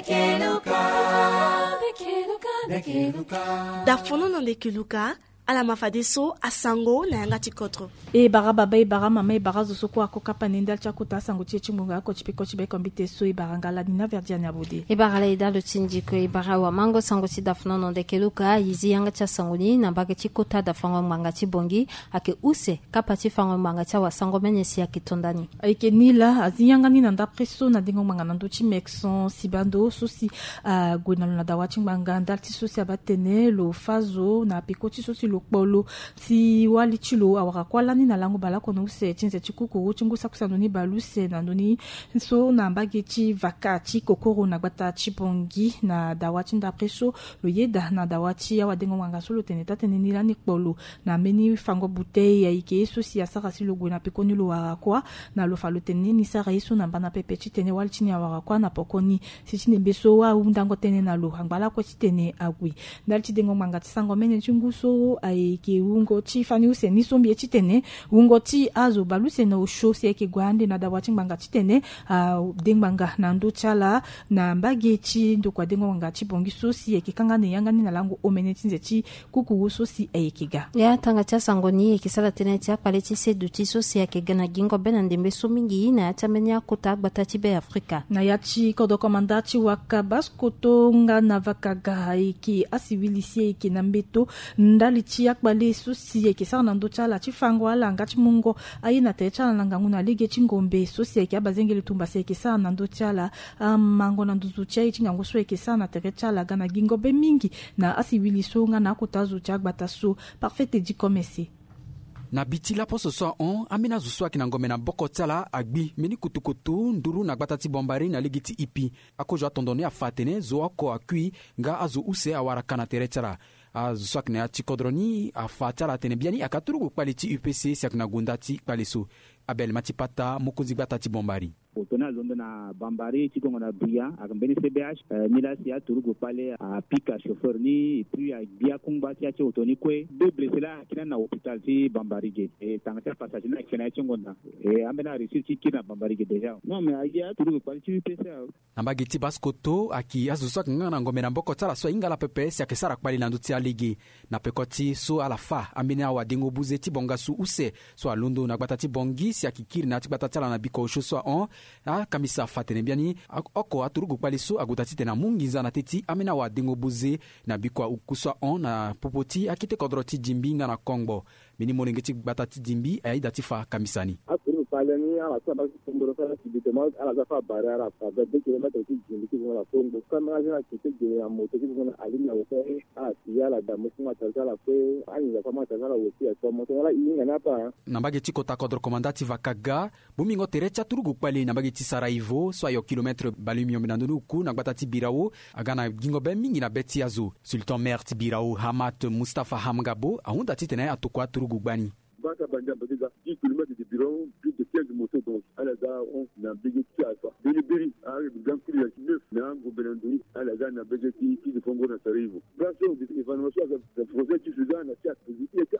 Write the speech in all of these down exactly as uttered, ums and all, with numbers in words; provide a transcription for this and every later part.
Keluka. Dafono na nde keluka. Ala ma fadeso asango na yanga ti kodro. E bara baba, e bara mama, e bara zo so kue ako kapa na e ndali ti akota asango ti e ti ngbonga oko ti peko ti bekombite so. E bara ngala ni na Verdiane Abode. E bara la e dalo ti ndiko, e bara wamango sango ti dafono na nde keluka. E zi yanga ti asango ni na mbage ti kota dafango ngbanga ti Bongi. Ayeke use kapa ti fango ngbanga ti awasango mene si ayeke to ndani. Ayeke ni laa, azi yanga ni na ndapre so na dengo ngbanga na ndö ti Mekson Sibando so si ague na lo na dawa ti ngbanga ndali ti so si abaa tene lo fâ zo na peko ti so si lo kpo lo si wali ti lo awara kuâ lani na lango baleoko na use ti nze ti kukuru ti ngu saki use na ndö ni baleuse na ndö ni so na mbage ti vaka ti kokoro na gbata ti Bongi. Na dawa ti ndapre so lo yeda na dawa ti awadengo ngbanga so lo tene taa-tënë ni lani kpo lo na mbeni fango bouteille ayeke ye so si asara si lo gue na pekoni lo wara kuâ. Na lo fa lo tene ni sara ye so na mbana pepe titene wali ti ni awara kuâ na pokoni. Si ti nembe so ahundango tënë na lo angba lakue titene ague. Ndali ti dengo ngbanga ti sango mene ti ngu so ayeke wungo ti fani use ni so mbi ye titene wungo ti azo baleuse na osio si ayeke gue ande na dawa ti ngbanga titene ade ngbanga na ndö ti ala na mbage ti ndokua dengo ngbanga ti Bongi so si ayeke kanga na e yanga ni na lango omene ti nze ti kukuru so si ayeke ga. Ya tanga ti asango ni ayeke sara tënë ti akpale ti seduti so si ayeke ga na gingo be na ndembe so mingi na ya ti ambeni akota agbata ti Be Afrika. Na ya ti kodro komanda ti waka baskoto nga na vakaga ayeke asiwili si ayeke na mbeto ndali ti akpale so si ayeke sara na ndö ti ala ti fango ala nga ti mungo aye na tere ti ala na ngangu na lege ti ngombe so si ayeke abazengele tumba si ayeke sara na ndö ti ala. Amango na nduzu ti aye ti ngangu so ayeke sara na tere ti ala ga na gingo be mingi na asiwili so nga na akota zo ti agbata so. Parfait edi komese. Na bi ti laposo so ahon, ambeni azo so ayeke na ngombe na boko ti ala agbi mbeni kutukutu nduru na gbata ti Bombari na lege ti Ipi. Akozo atondo ni afa atene zo oko akui nga azo use awara ka na tere ti ala. Azo so ayeke na ya ti kodro ni afa ti ala atene biani ayeke aturugu kpale ti U P C si ayeke na gonda ti kpale so. Abel Matipata, mokonzi gbata ti Bombari. Oto ni alondo na Bambari ti gongo na Bria, ayeke mbeni C B H. Eh, nilaa si aturugu kpale apika chauffeur ni, et puis agbi akungba ti ya ti oto ni kue. Deux blessés laa ayeke na hôpital ti Bambari ge. E tanga ti apassager ni ayeke na ya ti ngonda. E ambeni aréussir ti kiri na Bambari ge déjà. Non, mais aye aturugu kpale ti U P C awe. Na mbage ti baskoto ayeke azo so ayeke nga na ngombe na mboko ti ala so ahinga ala pepe si ayeke sara kpale na ndö ti alege. Na peko ti so ala fa ambeni awadengo buze ti bongasu use so alondo na gbata ti Bongi si ayeke kiri na ya ti gbata ti ala na bikua osio so ahon. Akamisa afa atene biani oko aturugu kpale so ague daa titene amu nginza na teti ambeni awadengo buze na bikua oku so ahon na popo ti akete kodro ti Dimbi nga na Kongbo. Mbeni molenge ti gbata ti Dimbi ayeda ti fa akamisa ni. Aturugu kpale ni ala so abaa ti kongoro so ala ti bito ma ala za fa abare ala fa vingt-deux kilomètres ti Dimbi ti gongo na Kongbo. Kâ mbeni azo ni ayeke ti gere na moto ti gongo na ali na oto. Ala si ala da mo ti matériel ti ala kue. Anginza kue matériel ti ala aussi ayeke fo moto ni ala hinga ni apa. Na mbage ti kota kodro komanda ti Vakaga, bongbingo tere ti aturugu kpale na mbage ti Sarajevo so ayo kilomètre baleomiombe na ndö ni oku na gbata ti Birao aga na gingo be mingi na be ti azo. Sultan maire ti Birao Hamad Mustapha Hamgabo ahunda titene atokua aturugu gbani. Baka banda mbage ga dix kilomètres de Birao, plus de quinze motos donc ala za hon na mbage ti Alpha. Beri beri ayeke grand prix ya ti neuf na ngombe na nduru ala za na mbage ti ti de fongo na Sarajevo. Ga so évaluation aga projet ti Sudan na ti akpezi ti eta.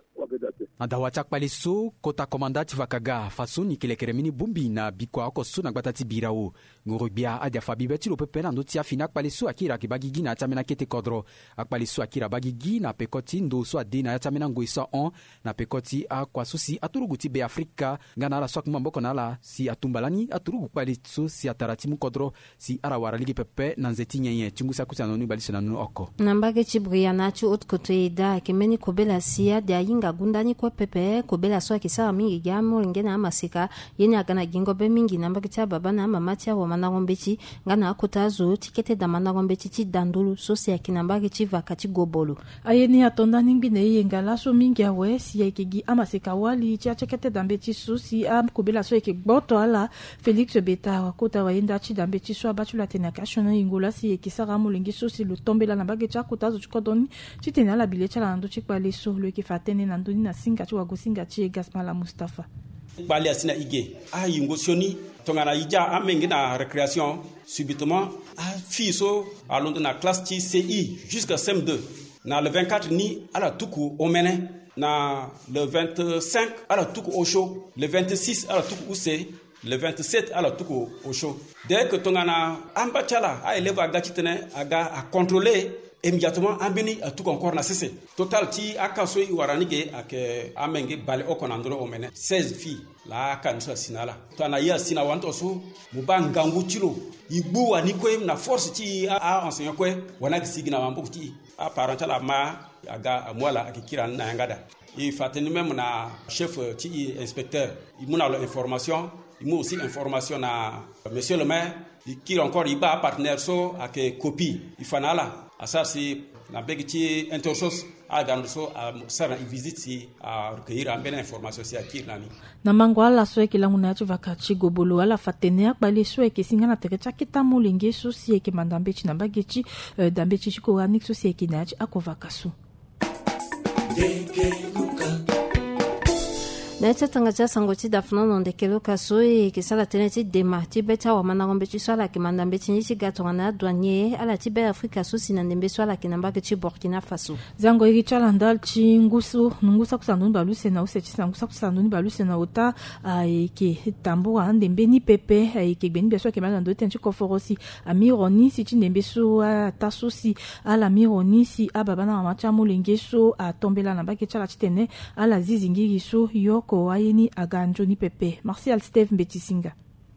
Na dawa ti akpale so kota komanda ti Vakaga afansoni kelekere mbeni bongbi na bikua oko so na gbata ti Birao. Ngoro-gbia ade afa bibe ti lo pepe na ndö ti afini akpale so akiri ayeke baa gigi na ya ti ambeni akete kodro. Akpale so akiri abaa gigi na peko ti ndo so ade na ya ti ambeni angoi so ahon na peko ti akua so si aturugu ti Be Afrika nga na ala so akungba maboko na ala si atumba lani aturugu kpale so si atara ti mu kodro si ala wara lege pepe na nze ti nyenye ti ngu saki use na ndö ni baleuse na ndö ni oko. Na mbage ti Bria na ya ti Haute-Côte e daa ayeke mbeni kobela si ade ahinga gunda ni kue pepe. Kobela so ayeke sara mingi gi amolenge na amaseka. Ye ni aga na gingo be mingi na mbage ti ababa na amama ti awamandango mbeti nga na akota azo ti kete da mandango mbeti ti da ndulu so si ayeke na mbage ti Vaka ti Gobolo. Aye ni ato ndani ngbi na e yenga laso mingi awe si ayeke gi amaseka wali ti atia kete da mbeti so si akobela so ayeke gboto ala. Félix Beta akota wayenda ti da mbeti so abaa ti lo atene ayeke asioni yingo laa si ayeke sara amolenge so si lo tombela na mbage ti akota azo ti kodro ni titene ala bi le ti ala na ndö ti kpale so. Lo yeke fa tënë na ndö ni na singa ti wagosinga ti e Gasmala Mustapha. Kpale asi na e ge, ayingo sioni tongana e dia amenge na récréation. Subitement afille so alondo na classe ti C I jusqu'à C M deux. Na le vingt-quatre ni ala tuku omene. Na le vingt-cinq ala tuku osio. Le vingt-six ala tuku use. Le vingt-sept ala tuku osio. Dès que tongana amba ti ala a élève aga titene aga a contrôler immédiatement ambeni atuku encore na sese. Total ti aka so e wara ni ge ayeke amenge baleoko na ndö ni omene seize filles. Laa aka ni so asi na ala tongana ye asi na wani tongaso, mo baa ngangu ti lo. E gbu wani kue na force ti e a enseignant kue. Wani ayeke sigi na maboko ti e. Aparent ti ala ama aga amu ala ayeke kiri na ni na yanga daa. E fa tënë ni même na chef ti e inspecteur. E mu na lo information. E mu aussi information na monsieur le maire. E kiri encore e baa apartenaire so ayeke copie e fa na ala asara si na mbege ti intersos. Ala ga na ndo so asara na e visite si arecueillir ambeni information si akiri na ni. Na mango ala so ayeke lango na ya ti vaka ti gobolo ala fa tene akpale so ayeke singa na tere ti aketa molenge so si ayeke manda mbeti na mbage ti eh, da mbeti ti koranik so si ayeke na ya ti ako vaka so. Na ya ti atanga ti asango ti dafuna na ndeke loka so e yeke sara tënë ti dema ti be ti awamandango mbeti so ala yeke manda mbeti ni ti ga tongana adouanier ala ti be afrika so si na ndembe so ala yeke na mbage ti burkina faso. Zango iri ti ala ndali ti ngu so ngu sako sara ndoni bale use na use ti sango sako sara ndoni bale use na ota ayeke tambura ande mbeni pepe ayeke gbe ni bia so ayeke manda na ndö ti tene ti koforo si amiro ni si ti ndembe so ata so si ala miro ni si ababa na mama ti amolenge so atombela na mbage ti ala titene ala zizi ngiri so yoko aye ni aga nzoni pepe. Martial steve mbeti singa.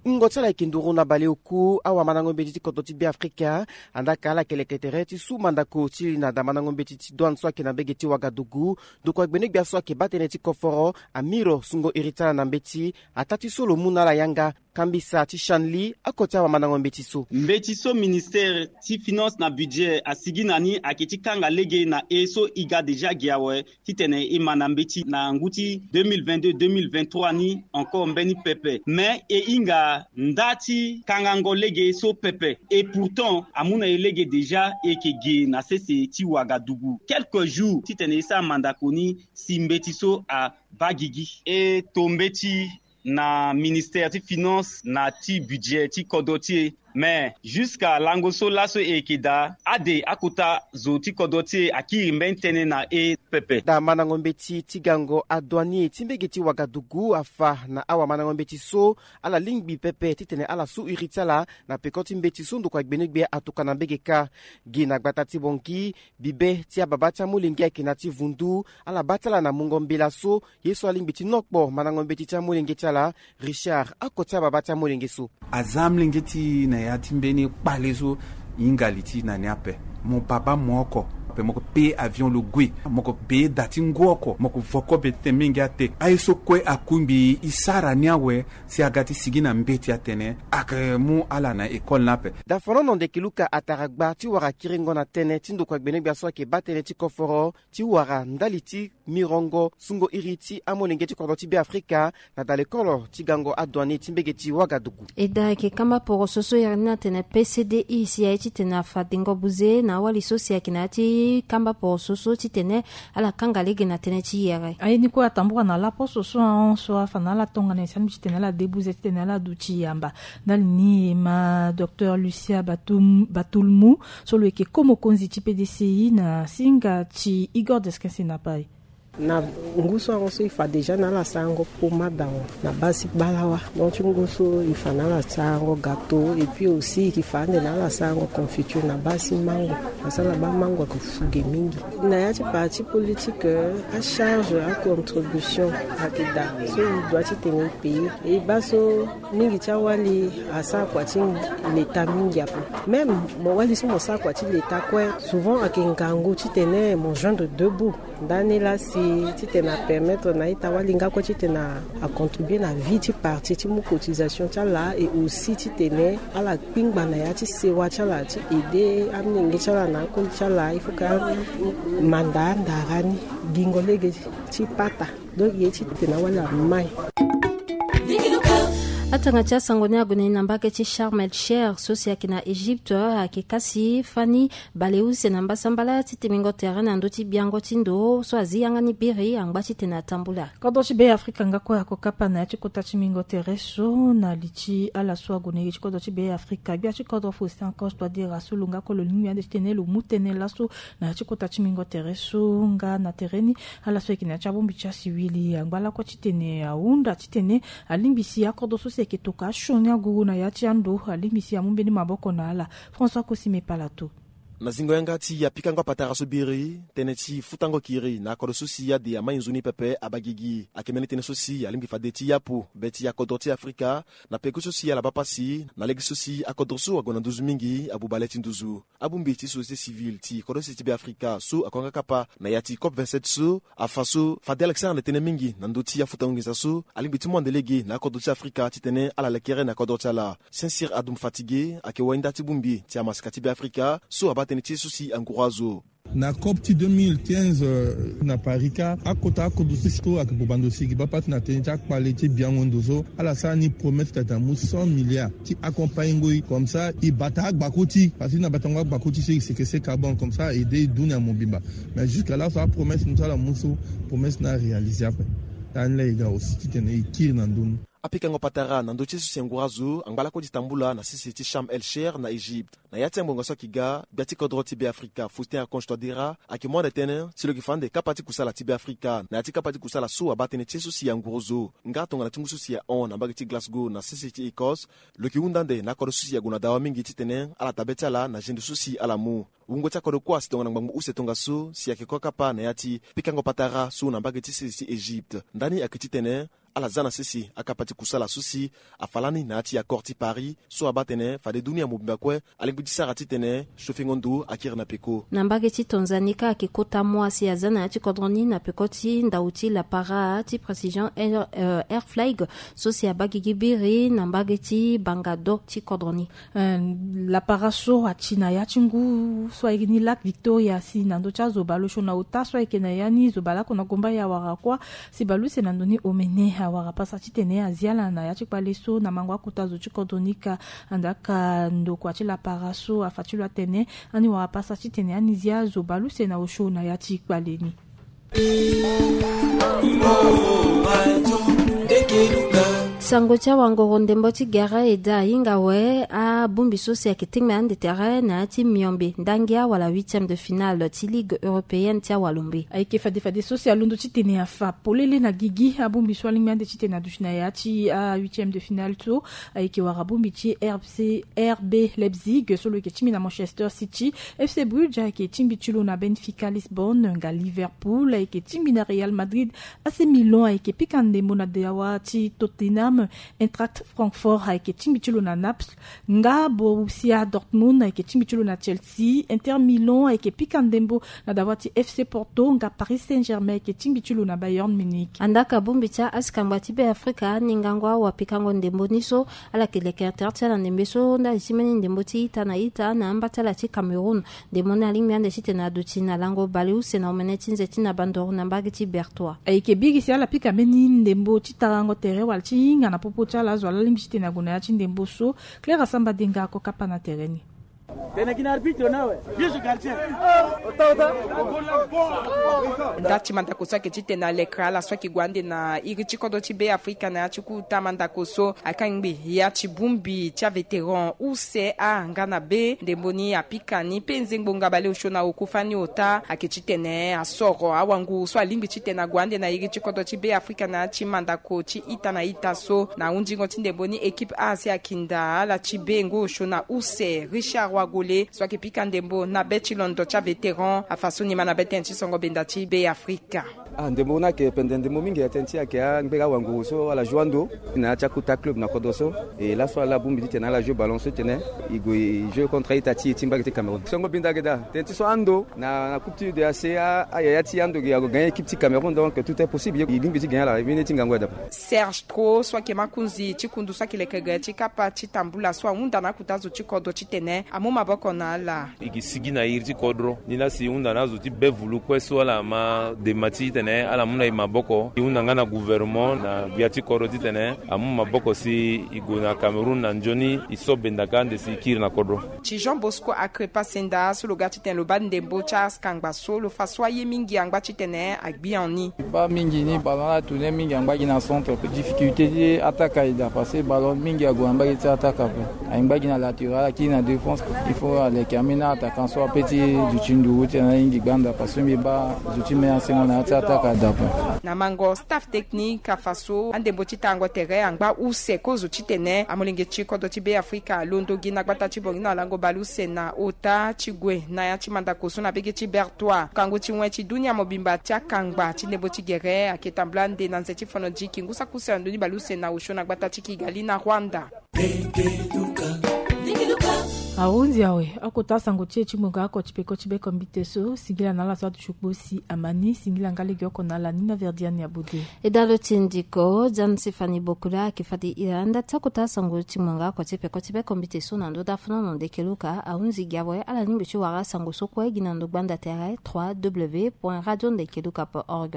Ngongo ti ala yeke nduru na baleoku awamandango mbeti ti kodro ti beafrika. Andaa ka ala yeke leke tere ti su mandako ti li na damandango mbeti ti douane so ayeke na mbege ti wagadugu. Ndokua gbene-gbia so ayeke baa tënë ti koforo amiro sungo iri ti ala na mbeti. Ataa ti so lo mu na ala yanga kambisa ti shanli oko ti awamandango mbeti so. Mbeti so ministere ti finance na budget asigi na ni ayeke ti kanga lege na e so e ga déjà gi awe titene e ma na mbeti na ngu ti deux mille vingt-deux deux mille vingt-trois ni encore mbeni pepe. Mais e hinga nda ti kangango lege so pepe. Et pourtant amu na e lege déjà e yeke ge na sese ti wagadugu quelques jours titene e sara mandako ni si mbeti so abaa gigi. E to mbeti na ministere ti finance na ti budget ti kodro ti e. Mais jusqu'à lango so laso e yeke daa ade akota zo ti kodro ti e akiri mbeni tënë na e pepe. Daa mandango mbeti ti gango adouanier ti mbege ti wagadugu afa na awamandango mbeti so ala lingbi pepe titene ala su iri ti ala na peko ti mbeti so ndokua gbene-gbia atuka na mbege kâ. Gi na gbata ti bongi bibe ti ababa ti amolenge ayeke na ti vundu. Ala baa ti ala na mungo mbela so ye so alingbi ti nokpo mandango mbeti ti amolenge ti ala. Richard oko ti ababa ti amolenge so. Aza amolenge ti na ya ti mbeni kpale so hinga li ti na ni ape. Mo baba mo oko ape mo ko pe avion lo gue mo ko be da ti ngu oko mo ko voko be titene mingi ate aye so kue akungbi e sara ni awe. Si aga ti sigi na mbeti atene ayeke mu ala na ekole ni ape. Daforono ndeke luka atara gba ti wara kiringo na tënë ti ndokua gbene-gbia so ayeke baa tënë ti koforo ti wara ndali ti mirongo sungo iri ti amolenge ti kodro ti beafrika na dalekolo ti gango adouanier ti mbege ti wagadugu. E daa ayeke kamba poroso so iri ni atene pcdi si aye titene afa dengo buze na awali so si ayeke na ya ti kamba poroso so titene ala kanga lege na tënë ti yere. Aye ni kue atambura na laposo so ahon so afa na ala tongana e sani titene ala debuze titene ala duti yamba. Ndali ni e ma docteur lucia batulmu so lo yeke ko mokonzi ti pdci na singa ti igor deskense na pai. Na ngu so ahon so e fa déjà na ala sarango poma dawa na baa si balawa. Donc ti ngu so e fa na ala sarango gateau et puis aussi e ke fa ande na ala sarango confiture na baa si mango. Parce que ala baa mango ayeke fu ge mingi. Na ya ti parti politique acharge acontribution ayeke daa so e doit titene e paye. E baa so mingi ti awali asara kua ti leta mingi ape. Même mo wali so mo sara kua ti leta kue souvent ayeke ngangu titene mo joindre deux bouts. Ndani laa si titene apermettre na ita wali nga kue titene acontribue na vie ti parti ti mu cotisation ti ala et aussi titene ala kpingba na ya ti sewa ti ala ti aide amolenge ti ala na akoli ti ala il faut que amanda andara ni gingo lege ti pata. Donc ye ti tena wala mai. Atanga ti asango ni ague na ni na mbage ti Sharm el Sheikh so si ayeke na Egypte ayeke kasi fani bale use na mbasambala ti temingo tere na ndö ti biango ti ndo so azi yanga ni biri angba titene atambula. Kodro ti Be Afrika nga kue ako kapa na ya ti kota ti mingo tere so na li ti ala so ague na ye ti kodro ti Be Afrika gbia ti kodro Faustin Archange Touadéra so lo nga kue lo lingbi ande titene lo mu tënë laso na ya ti kota ti mingo tere so nga na tere ni. Ala so ayeke na ya ti abongbi ti asiwili angba lakue titene ahunda titene alingbi si akodro so si Eke toka asioni aguru na ya ti ando alingbi si amu mbeni maboko na ala. François Kosime Palato. Na zingo yanga ti apikango apatara so biri tënë ti futango kiri na akodro so si ade amai nzoni pepe abagigi. Ayeke mbeni tënë so si alingbi fade ti yapu be ti akodro ti Afrika na peko so si ala baa pasi na lege so si akodro so ague na nduzu mingi abuba le ti nduzu. Abongbi ti société civile ti kodro sese ti Beafrika so akonga kapa na ya ti COP vingt-sept so afa so fade ala ke sara ande tënë mingi na ndö ti afutango nginza so alingbi ti mu ande lege na akodro ti Afrika titene ala lekere na akodro ti ala. Sincère Adoum Fatigué ayeke wayinda ti bongbi ti amasika ti Beafrika so abaa tënë ti ye so si anguru azo. Na COP ti deux mille quinze, euh, na Paris ka, akota akodro ti so ayeke bobando si e gi baa pasi na tënë ti akpale ti biango ndo so ala sara ni promesse tata mu cent milliards ti accompagner ngoi. Comme ça e bata agbako ti, parce que na batango agbako ti so e seke se carbone, comme ça e de e dunia mobimba. Mais jusqu'à là so apromesse ni so ala mu so, promesse ni aréaliser ape. Lani laa e ga aussi titene e kiri na ndö ni. Apikango patara na ndö ti ye so si anguru azo angba lakue ti tambula na sese ti Sharm El Sheikh na Égypte. Na ya ti angbonga so ayeke ga, gbia ti kodro ti Beafrika Faustin Archange Touadéra ayeke mu ande tënë si lo yeke fa ande kapa ti kusala ti Beafrika na ya ti kapa ti kusala so abaa tënë ti ye so si anguru zo. Nga tongana ti ngu so si ahon na mbage ti Glasgow na sese ti Écosse, lo yeke hunda ande na akodro so si ague na dawa mingi titene ala taa be ti ala na zendo so si ala mu. Wungo ti akodro kue asi tongana ngbangbo use tongaso si ayeke kue kapa na ya ti pikango patara so na mbage ti sese ti Égypte. Ndani ayeke titene ala za na sese akapa ti kusala so si afa lani na ya ti accord ti Paris so abaa tene fade dunia mobimba kue alingbi ti sara titene sofengo ndo akiri na peko. Na mbage ti Tanzanie ka ayeke kota mua si aza na ya ti kodro ni na peko ti ndau ti lapara ti Precision Air, euh, Air Flag so si abaa gigi biri na mbage ti banga do ti kodro ni. Eh, lapara so ati na ya ti ngu so ayeke ni Lac Victoria si na ndö ti azo bale osio na ota so ayeke na ya ni zo bale oko na gomba ya awara kuâ. Si bale use na ndo ni omene awara pasa titene azi ala na ya ti kpale so na mango akota zo ti kodro ni ka. Andaa ka ndokua ti lapara so afa ti lo atene ani wara pasa titene ani zi azo bale use na osio na ya ti kpale ni. Sango ti awangoro ndembo ti gere e daa ahinga awe abongbi so si ayeke tingbi ande tere na ya ti miombe ndangia wala huitième de finale ti Ligue européenne ti awalombe. Ayeke fade fade so si alondo titene afa polele na gigi abongbi so alingbi ande titene aduti na ya ti ahuitième de finale so ayeke wara bongbi ti RC, RB Leipzig so lo yeke tingbi na Manchester City. FC Bruges ayeke tingbi ti lo na Benfica Lisbonne, nga Liverpool ayeke tingbi na Real Madrid. AC Milan ayeke pika ndembo na dawa ti Tottenham. Eintracht Francfort ayeke tingbi ti lo na Naples, nga Borussia Dortmund ayeke tingbi ti lo na Chelsea. Inter Milan ayeke pika ndembo na dawa ti FC Porto, nga Paris Saint-Germain ayeke tingbi ti lo na Bayern Munich. Andaa ka bongbi ti asikangba ti Beafrika ni ngangu awapikango ndembo ni so ala yeke leke tere ti ala ndembe so ndali ti mbeni ndembo ti ita na ita na amba ti ala ti Cameroun. Ndembo ni alingbi ande titene aduti na lango baleuse na omene ti nze ti na bandoro na mbage ti Bertois. Ayeke biri si ala pika mbeni ndembo ti tarango tere wala ti hinga na popo ti ala azo ala lingbi titene ague na ya ti ndembo so. Claire Asamba Denga ako kapa na tere ni. Tene gi na arbitre na awe. Vieux gardien. Ota, ota. Nda ti mandako so ayeke titene aleke ala so ayeke gue ande na iri ti kodro ti Beafrika na ya ti kota mandako so akangbi ya ti bongbi ti avétéran use a nga na be ndembo ni apika ni pe nzengbo nga baleosio na oko fani ota ayeke titene asoro awanguru so alingbi titene ague ande na iri ti kodro ti Beafrika na ya ti mandako ti ita na ita so. Na hundingo ti ndembo ni équipe A si akinda ala ti be ngu osio na use Richard Wagole so ayeke pika ndembo na be ti londo ti avétéran afa so ni ma na be tënë ti songo benda ti Beafrika. Ah, ndembo ni ayeke pende ndembo mingi atene ti ayeke angbera wanguru so ala joue ando na ya ti akota club na kodro so. E laso ala bongbi titene ala joue ballon so titene e gue e joue contre a-ita ti e ti mbage ti Cameroun. Songo benda ayeke daa tene ti so ando na, na coupe ti U D A C, a, ayaya ti ando ge ague gagner équipe ti Cameroun, donc tout est possible. E lingbi ti gagner ala, e mbeni ye ti ngangu aye daa. Serge Tro so ayeke makonzi ti kundu so ayeke leke ge ti kapa ti tambula so ahunda na akota zo ti kodro titene amu maboko na ala. E ke sigi na iri ti kodro ni laa si e hunda na azo ti be vulu kue so ala ma dema titene ala mu na e maboko. E hunda nga na gouvernement na gbia ti kodro titene amu maboko si e gue na Cameroun na nzoni e so benda ka ande si e kiri na kodro. Ti Jean Bosco Akrepa Senda so lo ga titene lo baa ndembo ti asikangba so lo fa so aye mingi angba titene agbi en ni. E baa mingi ni ballon ala tourner mingi angba gi na centre. Difficulté ti attaque aye daa parce que ballon mingi ague na mbage ti attaque ape. Angba gi na latéral, akiri na défense. Il faut aleke ambeni attaquant so ape ti duti nduru ti na aye gi gbanda parce que mbi baa zo ti me asengo na ya ti attaque. Na mango staff technique afa so andembo ti tango tere angba use kozo titene amolenge ti kodro ti Beafrika alondo gi na gbata ti Bangui na lango baleuse na ota ti gue na ya ti mandako so na bege ti Bertois. Kangu ti wen ti dunia mobimba ti akangba ti ndembo ti gere ake tambula nde na nze ti fono diki ngu saki use na ndoni baleuse na osio na gbata ti Kigali na Rwanda. Ahunzi awe akota sango ti e ti ngbonga oko ti peko ti beko mbite so singila na ala so aduti kpo si ama ni singila nga lege oko na ala ni na verdiani abude. E dalo ti ndiko jan sifani bokula ake fade ira nda ti akota sango ti ngbonga oko ti peko ti beko mbite so na ndo da fono na ndeke luka ahunzi gi awe ala ni mbi ti wara sango so kue gi na ndo gbanda tere trois w point radio ndeke luka point org.